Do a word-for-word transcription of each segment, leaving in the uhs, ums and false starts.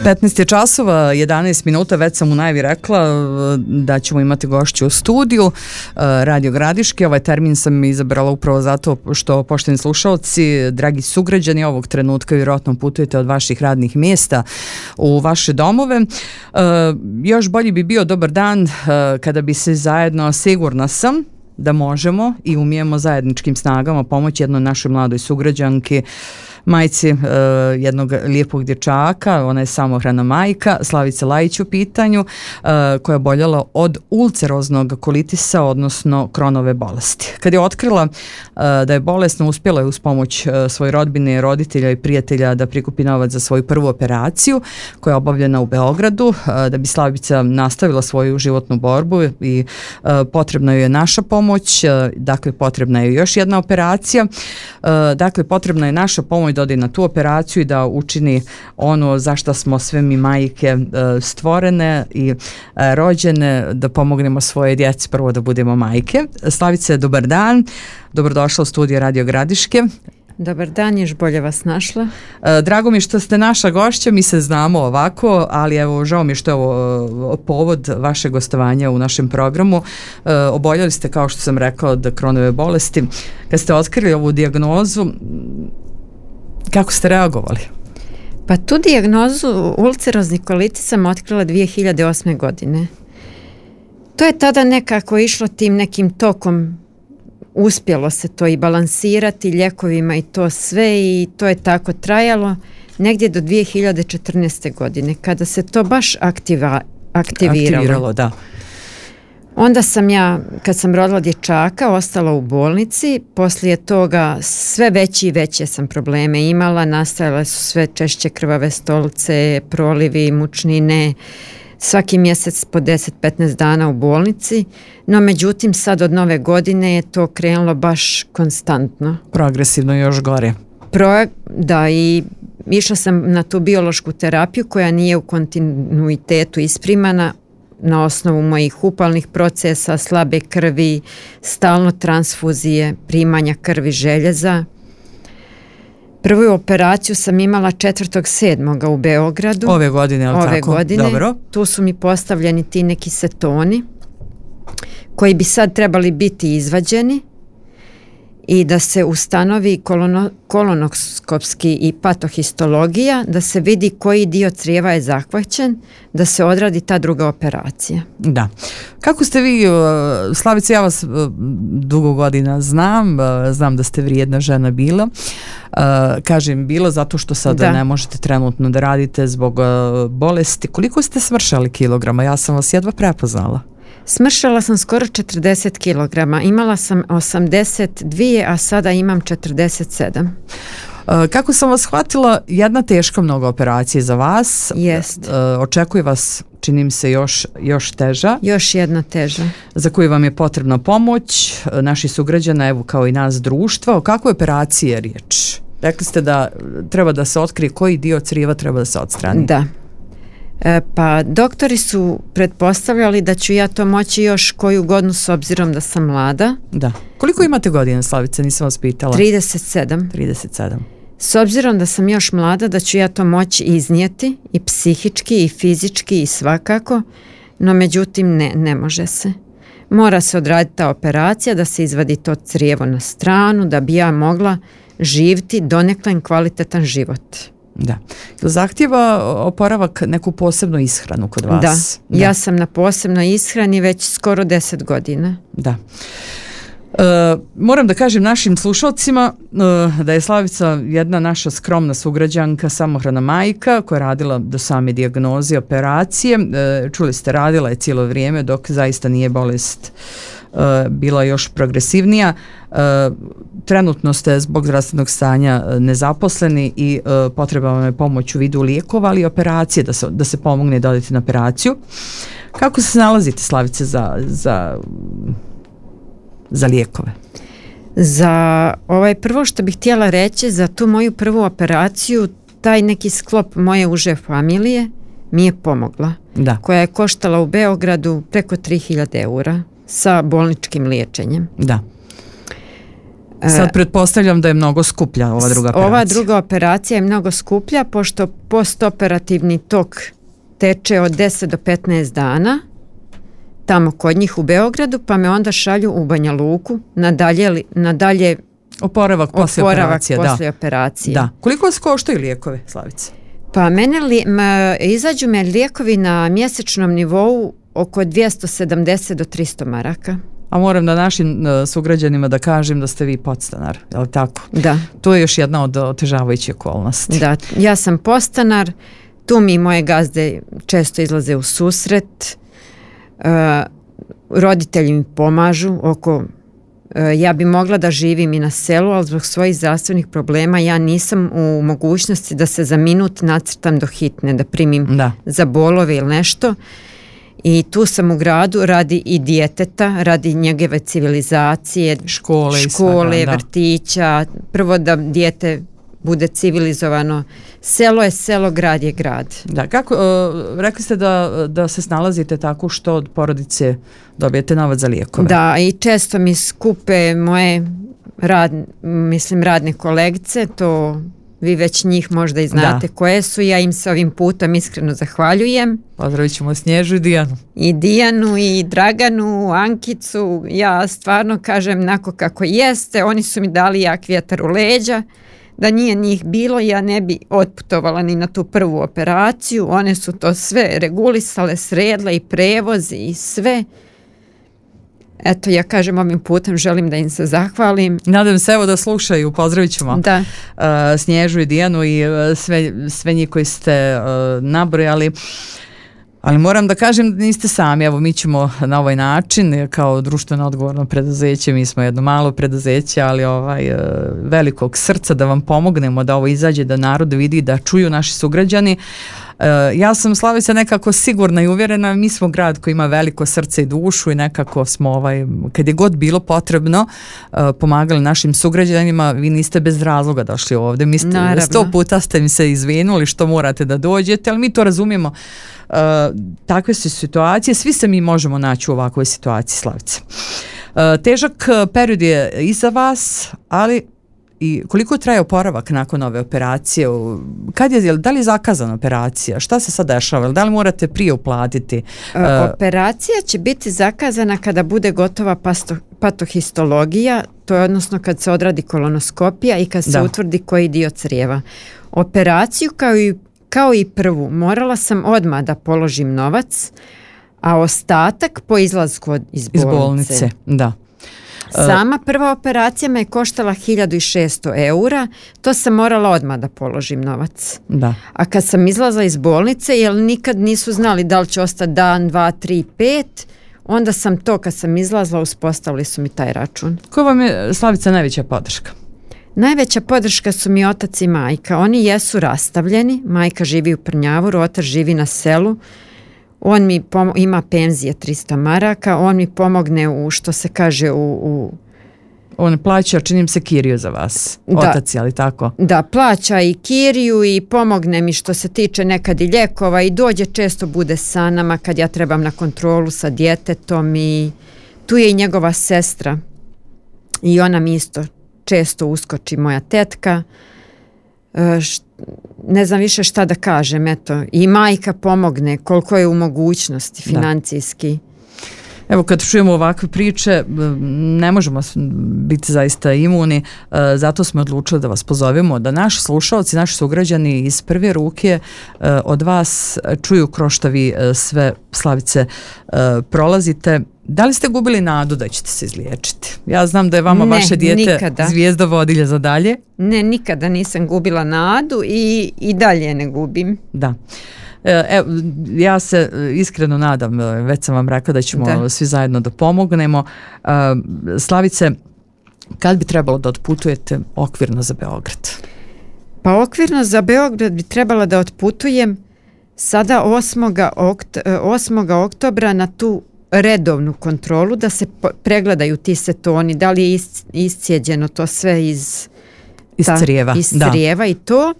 petnaest je časova, jedanaest minuta, već sam u najavi rekla da ćemo imati gošću u studiju Radio Gradiške. Ovaj termin sam izabrala upravo zato što, poštovani slušalci, dragi sugrađani, ovog trenutka vjerojatno putujete od vaših radnih mjesta u vaše domove. Još bolji bi bio dobar dan kada bi se zajedno, sigurna sam da možemo i umijemo zajedničkim snagama pomoći jednoj našoj mladoj sugrađanki, majci uh, jednog lijepog dječaka, ona je samohrana majka, Slavica Lajić u pitanju, uh, koja je boljela od ulceroznog kolitisa, odnosno Kronove bolesti. Kad je otkrila uh, da je bolesna, uspjela je uz pomoć uh, svoje rodbine, roditelja i prijatelja da prikupi novac za svoju prvu operaciju koja je obavljena u Beogradu, uh, da bi Slavica nastavila svoju životnu borbu i uh, potrebna joj je naša pomoć, uh, dakle potrebna je još jedna operacija, uh, dakle potrebna je naša pomoć da ode na tu operaciju i da učini ono za što smo sve mi majke stvorene i rođene, da pomognemo svoje djeci prvo da budemo majke. Slavice, dobar dan, dobrodošla u studiju Radio Gradiške. Dobar dan, još bolje vas našla. Drago mi što ste naša gošća, mi se znamo ovako, ali evo, žao mi što je ovo povod vaše gostovanja u našem programu. Oboljeli ste, kao što sam rekla, od Kronove bolesti. Kad ste otkrili ovu dijagnozu, kako ste reagovali? Pa tu dijagnozu ulcerozni kolitis sam otkrila dvije hiljade osme. godine. To je tada nekako išlo tim nekim tokom, uspjelo se to i balansirati ljekovima i to sve, i to je tako trajalo negdje do dvije hiljade četrnaeste. godine, kada se to baš aktiva, aktiviralo. Aktiviralo, da. Onda sam ja, kad sam rodila dječaka, ostala u bolnici. Poslije toga sve veći i veće sam probleme imala. Nastajale su sve češće krvave stolice, prolivi, mučnine. Svaki mjesec po deset do petnaest dana u bolnici. No međutim, sad od nove godine je to krenulo baš konstantno. Progresivno još gore. Pro, da, i išla sam na tu biološku terapiju koja nije u kontinuitetu isprimana na osnovu mojih upalnih procesa, slabe krvi, stalno transfuzije, primanja krvi, željeza. Prvu operaciju sam imala četvrtog sedmog u Beogradu. Ove godine, ali Ove tako? godine. Dobro. Tu su mi postavljeni ti neki setoni koji bi sad trebali biti izvađeni i da se ustanovi kolono, kolonoskopski i patohistologija, da se vidi koji dio crijeva je zahvaćen, da se odradi ta druga operacija. Da. Kako ste vi, Slavice, ja vas dugo godina znam, znam da ste vrijedna žena bila. Kažem bilo zato što sada da. ne možete trenutno da radite zbog bolesti. Koliko ste smršali kilograma? Ja sam vas jedva prepoznala. Smršala sam skoro četrdeset kilograma. Imala sam osamdeset dvije, a sada imam četrdeset sedam. Kako sam vas shvatila, jedna teška mnogo operacija za vas. Jest. Očekuje vas, čini mi se, još, još teža. Još jedna teža. Za koju vam je potrebna pomoć naših sugrađana, evo kao i nas društva. O kakvoj operaciji je riječ? Rekli ste da treba da se otkrije koji dio crijeva treba da se odstrani. Da. E, pa doktori su pretpostavljali da ću ja to moći još koju godinu s obzirom da sam mlada. Da. Koliko imate godina, Slavice? Nisam vas pitala. trideset sedam. trideset sedam. S obzirom da sam još mlada, da ću ja to moći iznijeti i psihički i fizički i svakako, no međutim ne, ne može se. Mora se odraditi ta operacija, da se izvadi to crijevo na stranu, da bi ja mogla živjeti donekle kvalitetan život. Da. Zahtjeva oporavak neku posebnu ishranu kod vas? Da, da. Ja sam na posebnoj ishrani već skoro deset godina. Da. E, moram da kažem našim slušalcima e, da je Slavica jedna naša skromna sugrađanka, samohrana majka koja je radila do same dijagnoze operacije. E, čuli ste, radila je cijelo vrijeme dok zaista nije bolest e, bila još progresivnija. E, trenutno ste zbog zdravstvenog stanja nezaposleni i e, potreba vam je pomoć u vidu lijekova, ali i operacije, da se, da se pomogne da odete na operaciju. Kako se nalazite, Slavice, za, za, za lijekove? Za ovaj prvo što bih htjela reći, za tu moju prvu operaciju, taj neki sklop moje uže familije mi je pomogla. Da. Koja je koštala u Beogradu preko tri hiljade eura sa bolničkim liječenjem. Da. Sad pretpostavljam da je mnogo skuplja ova druga operacija. Ova druga operacija je mnogo skuplja pošto postoperativni tok teče od deset do petnaest dana tamo kod njih u Beogradu, pa me onda šalju u Banja Luku na dalje, na dalje oporavak poslije oporavak operacije. Poslije da. operacije. Da. Koliko vas koštaju lijekove, Slavice? Pa mene li, ma, izađu me lijekovi na mjesečnom nivou oko dvjesto sedamdeset do tristo maraka. A moram da našim uh, sugrađanima da kažem da ste vi podstanar, je li tako? Da. To je još jedna od otežavajućih okolnosti. Da, ja sam podstanar, tu mi moje gazde često izlaze u susret, uh, roditelji mi pomažu oko, uh, ja bi mogla da živim i na selu, ali zbog svojih zdravstvenih problema ja nisam u mogućnosti da se za minut nacrtam do hitne, da primim da. za bolove ili nešto. I tu sam u gradu radi i djeteta, radi njegove civilizacije, škole, škole svega, vrtića, prvo da dijete bude civilizovano. Selo je selo, grad je grad. Da, kako, uh, rekli ste da, da se snalazite tako što od porodice dobijete novac za lijekove. Da, i često mi skupe moje rad, mislim radne kolegice, to vi već njih možda i znate da. Koje su, ja im se ovim putem iskreno zahvaljujem. Pozdravit ćemo Snježu i Dijanu. I Dijanu i Draganu, Ankicu, ja stvarno kažem nako kako jeste, oni su mi dali jak vjetar u leđa, da nije njih bilo ja ne bi otputovala ni na tu prvu operaciju, one su to sve regulisale, sredle i prevozi i sve. Eto, ja kažem ovim putem, želim da im se zahvalim. Nadam se evo da slušaju, pozdravit ćemo da. Uh, Snježu i Dijanu i uh, sve, sve njih koji ste uh, nabrojali. Ali moram da kažem da niste sami, evo mi ćemo na ovaj način kao društveno odgovorno preduzeće, mi smo jedno malo preduzeće, ali ovaj uh, velikog srca da vam pomognemo da ovo izađe, da narod vidi, da čuju naši sugrađani. Uh, ja sam, Slavica, nekako sigurna i uvjerena, mi smo grad koji ima veliko srce i dušu i nekako smo, ovaj, kad je god bilo potrebno, uh, pomagali našim sugrađanima. Vi niste bez razloga došli ovdje, mi ste, sto puta ste mi se izvinuli što morate da dođete, ali mi to razumijemo. Uh, takve su situacije, svi se mi možemo naći u ovakvoj situaciji, Slavice. Uh, težak period je iza vas, ali i koliko traje oporavak nakon ove operacije? Kad je, da li je zakazana operacija? Šta se sad dešava? Da li morate prije uplatiti? Uh, operacija će biti zakazana kada bude gotova pasto, patohistologija, to je odnosno kad se odradi kolonoskopija i kad se da. utvrdi koji dio crijeva. Operaciju kao i, kao i prvu morala sam odmah da položim novac, a ostatak po izlasku iz bolnice. Iz bolnice, da. Sama prva operacija me je koštala hiljadu šesto eura, to sam morala odmah da položim novac. Da. A kad sam izlazla iz bolnice, jer nikad nisu znali da li će ostati dan, dva, tri, pet, onda sam to, kad sam izlazla, uspostavili su mi taj račun. Koja vam je, Slavica, najveća podrška? Najveća podrška su mi otac i majka. Oni jesu rastavljeni, majka živi u Prnjavoru, otac živi na selu. On mi pomo- ima penzije tristo maraka, on mi pomogne u, što se kaže, u... u on plaća, činim se, kiriju za vas, da, otac, ali tako? Da, plaća i kiriju i pomogne mi što se tiče nekad i ljekova i dođe, često bude sa nama kad ja trebam na kontrolu sa djetetom i tu je i njegova sestra i ona mi isto često uskoči, moja tetka. E, št, ne znam više šta da kažem, eto, i majka pomogne koliko je u mogućnosti financijski. Da. Evo, kad čujemo ovakve priče, ne možemo biti zaista imuni, zato smo odlučili da vas pozovemo, da naši slušalci, naši sugrađani iz prve ruke od vas čuju kroz šta vi sve, Slavice, prolazite. Da li ste gubili nadu da ćete se izliječiti? Ja znam da je vama ne, vaše dijete nikada. Zvijezda vodilja za dalje. Ne, nikada nisam gubila nadu i, i dalje ne gubim. Da. Evo, ja se iskreno nadam, već sam vam rekla da ćemo da. svi zajedno da pomognemo. Slavice, kad bi trebalo da otputujete okvirno za Beograd? Pa okvirno za Beograd bi trebala da otputujem sada osmog oktobra na tu redovnu kontrolu, da se pregledaju ti setoni, da li je iscijeđeno to sve iz, iz ta, crijeva, iz crijeva i to.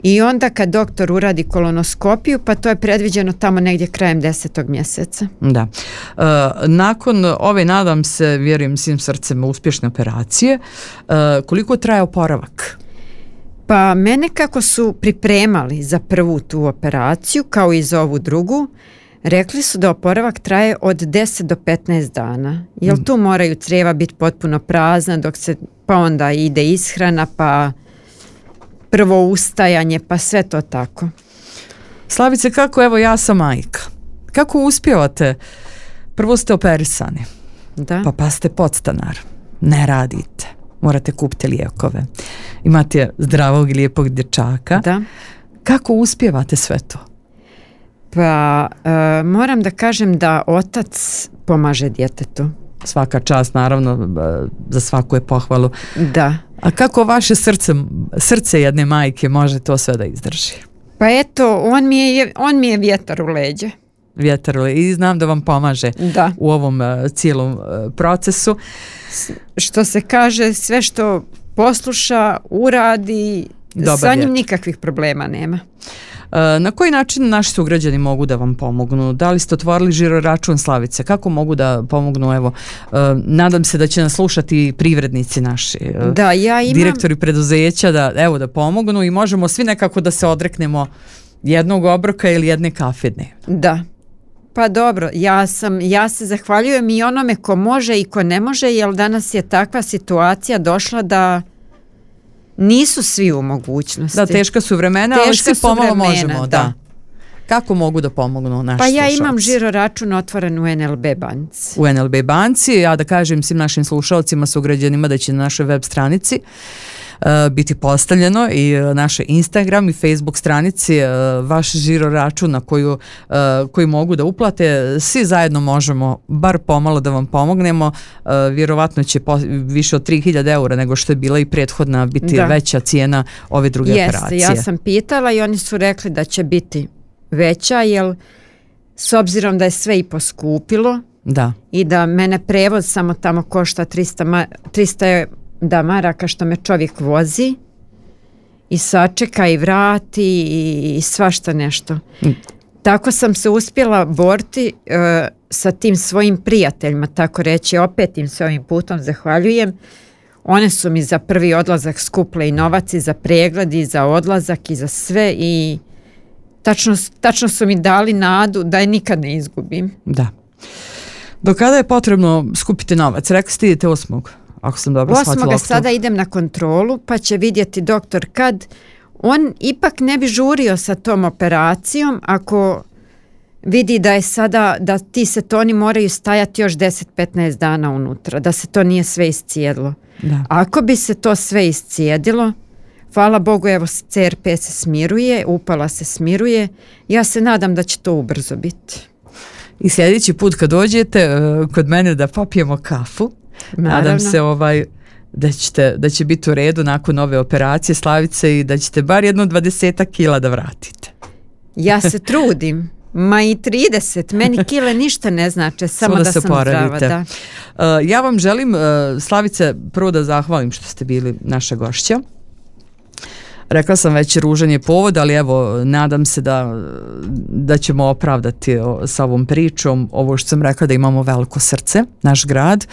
I onda kad doktor uradi kolonoskopiju, pa to je predviđeno tamo negdje krajem desetog mjeseca. Da. E, nakon ove, nadam se, vjerujem svim srcem, uspješne operacije, e, koliko traje oporavak? Pa mene kako su pripremali za prvu tu operaciju, kao i za ovu drugu, rekli su da oporavak traje od deset do petnaest dana. Jel tu moraju crijeva biti potpuno prazna, dok se, pa onda ide ishrana, pa prvo ustajanje, pa sve to tako. Slavice, kako, evo ja sam majka, kako uspijevate? Prvo ste operisani, da. pa pa ste podstanar, ne radite, morate kupiti lijekove, imate zdravog i lijepog dječaka. Da. Kako uspijevate sve to? Pa e, moram da kažem da otac pomaže djetetu. Svaka čast, naravno, za svaku je pohvalu. Da. A kako vaše srce, srce jedne majke može to sve da izdrži? Pa eto, on mi je, on mi je vjetar u leđe. Vjetar u leđe. I znam da vam pomaže da. u ovom uh, cijelom uh, procesu. S, što se kaže, sve što posluša, uradi, dobar sa njim vjetar. Nikakvih problema nema. Na koji način naši sugrađani mogu da vam pomognu? Da li ste otvorili žiro račun, Slavice? Kako mogu da pomognu? Evo, nadam se da će nas slušati privrednici naši, da, ja imam... direktori preduzeća, da, evo, da pomognu i možemo svi nekako da se odreknemo jednog obroka ili jedne kafe dnevno. Da. Pa dobro, ja, sam, ja se zahvaljujem i onome ko može i ko ne može, jer danas je takva situacija došla da nisu svi u mogućnosti. Da, teška su vremena, teška ali svi pomalo vremena, možemo. Da. Da. Kako mogu da pomognu naši Pa ja slušalci? Imam žiro račun otvoren u en el be banci. U en el be banci, ja da kažem svim našim slušalcima, sugrađanima da će na našoj web stranici uh, biti postavljeno i uh, naše Instagram i Facebook stranici uh, vaš žiro račun na koju, uh, koji mogu da uplate. Svi zajedno možemo bar pomalo da vam pomognemo. Uh, vjerovatno će po, više od tri hiljade eura nego što je bila i prethodna biti da. Veća cijena ove druge Jeste, operacije. Ja sam pitala i oni su rekli da će biti veća, jer s obzirom da je sve i poskupilo da. I da mene prevoz samo tamo košta triста, trista da maraka što me čovjek vozi i sačeka i vrati i svašta nešto. Mm. Tako sam se uspjela boriti uh, sa tim svojim prijateljima, tako reći, opet im se ovim putom zahvaljujem. One su mi za prvi odlazak skupile i novac i za pregled i za odlazak i za sve i tačno, tačno su mi dali nadu da je nikad ne izgubim. Da. Do kada je potrebno skupiti novac? Rekli ste idete osmog Ako sam dobro shvatila. Osmoga sada idem na kontrolu pa će vidjeti doktor kad. On ipak ne bi žurio sa tom operacijom ako vidi da je sada, da ti setoni moraju stajati još deset do petnaest dana unutra, da se to nije sve iscijedilo. Da. Ako bi se to sve iscijedilo, hvala Bogu, evo ce er pe se smiruje, upala se smiruje, ja se nadam da će to ubrzo biti. I sljedeći put kad dođete uh, kod mene da popijemo kafu, naravno. Nadam se ovaj, da, ćete, da će biti u redu nakon ove operacije, Slavice, i da ćete bar jedno dvadesetak kila da vratite. Ja se trudim. Ma i trideset, meni kile ništa ne znače, samo da, da sam zdrava. Da. Uh, ja vam želim, uh, Slavice, prvo da zahvalim što ste bili naša gošća. Rekla sam već, ružan je povod, ali evo, nadam se da, da ćemo opravdati o, sa ovom pričom ovo što sam rekla, da imamo veliko srce, naš grad,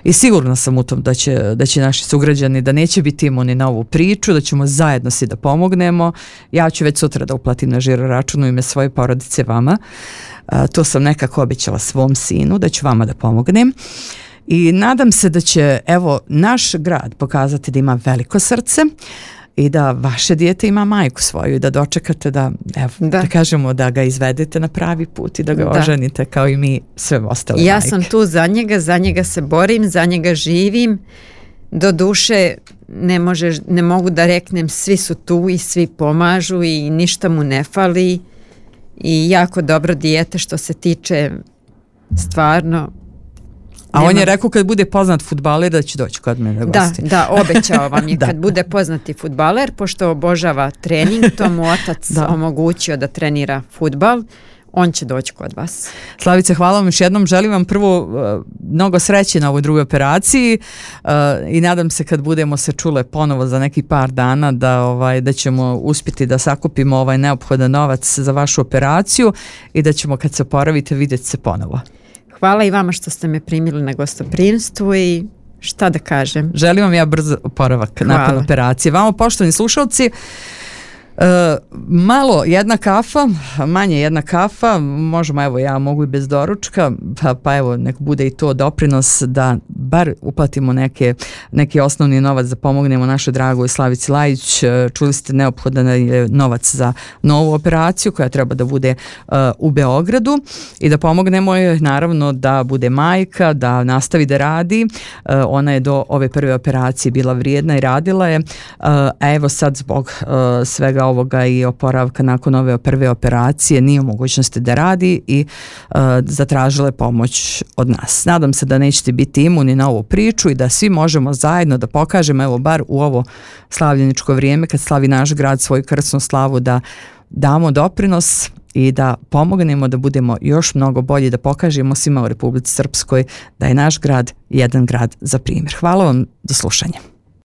i sigurna sam u tom da će, da će naši sugrađani, da neće biti imuni na ovu priču, da ćemo zajedno svi da pomognemo. Ja ću već sutra da uplatim na žiro račun u ime svoje porodice vama. A, to sam nekako obećala svom sinu, da ću vama da pomognem. I nadam se da će, evo, naš grad pokazati da ima veliko srce, i da vaše dijete ima majku svoju i da dočekate da, evo, da. da kažemo da ga izvedete na pravi put i da ga da. oženite kao i mi sve ostale ja majke. Sam tu za njega, za njega se borim, za njega živim. Do duše ne, može, ne mogu da reknem, svi su tu i svi pomažu i ništa mu ne fali i jako dobro dijete što se tiče stvarno. A nema. On je rekao kad bude poznat fudbaler da će doći kod mene da gosti. Da, obećao vam je kad bude poznati fudbaler, pošto obožava trening, to mu otac da. omogućio da trenira fudbal. on će doći kod vas. Slavice, hvala vam još jednom. Želim vam prvo uh, mnogo sreće na ovoj drugoj operaciji uh, i nadam se kad budemo se čule ponovo za neki par dana da, ovaj, da ćemo uspjeti da sakupimo ovaj neophodan novac za vašu operaciju i da ćemo kad se oporavite vidjeti se ponovo. Hvala i vama što ste me primili na gostoprimstvu i šta da kažem. Želim vam ja brzo oporavak Hvala. nakon operacije. Vama, poštovani slušalci, Uh, malo jedna kafa, manje jedna kafa, možemo, evo ja mogu i bez doručka, pa, pa evo nek bude i to doprinos da bar uplatimo neke, neki osnovni novac da pomognemo našoj dragoj Slavici Lajić. Čuli ste, neophodan je novac za novu operaciju koja treba da bude uh, u Beogradu i da pomognemo je naravno da bude majka, da nastavi da radi. Uh, ona je do ove prve operacije bila vrijedna i radila je, uh, a evo sad zbog uh, svega ovoga i oporavka nakon ove prve operacije nije u mogućnosti da radi i uh, zatražila je pomoć od nas. Nadam se da nećete biti imuni na ovu priču i da svi možemo zajedno da pokažemo, evo bar u ovo slavljeničko vrijeme kad slavi naš grad svoju krsnu slavu, da damo doprinos i da pomognemo da budemo još mnogo bolji, da pokažemo svima u Republici Srpskoj da je naš grad jedan grad za primjer. Hvala vam, do slušanja.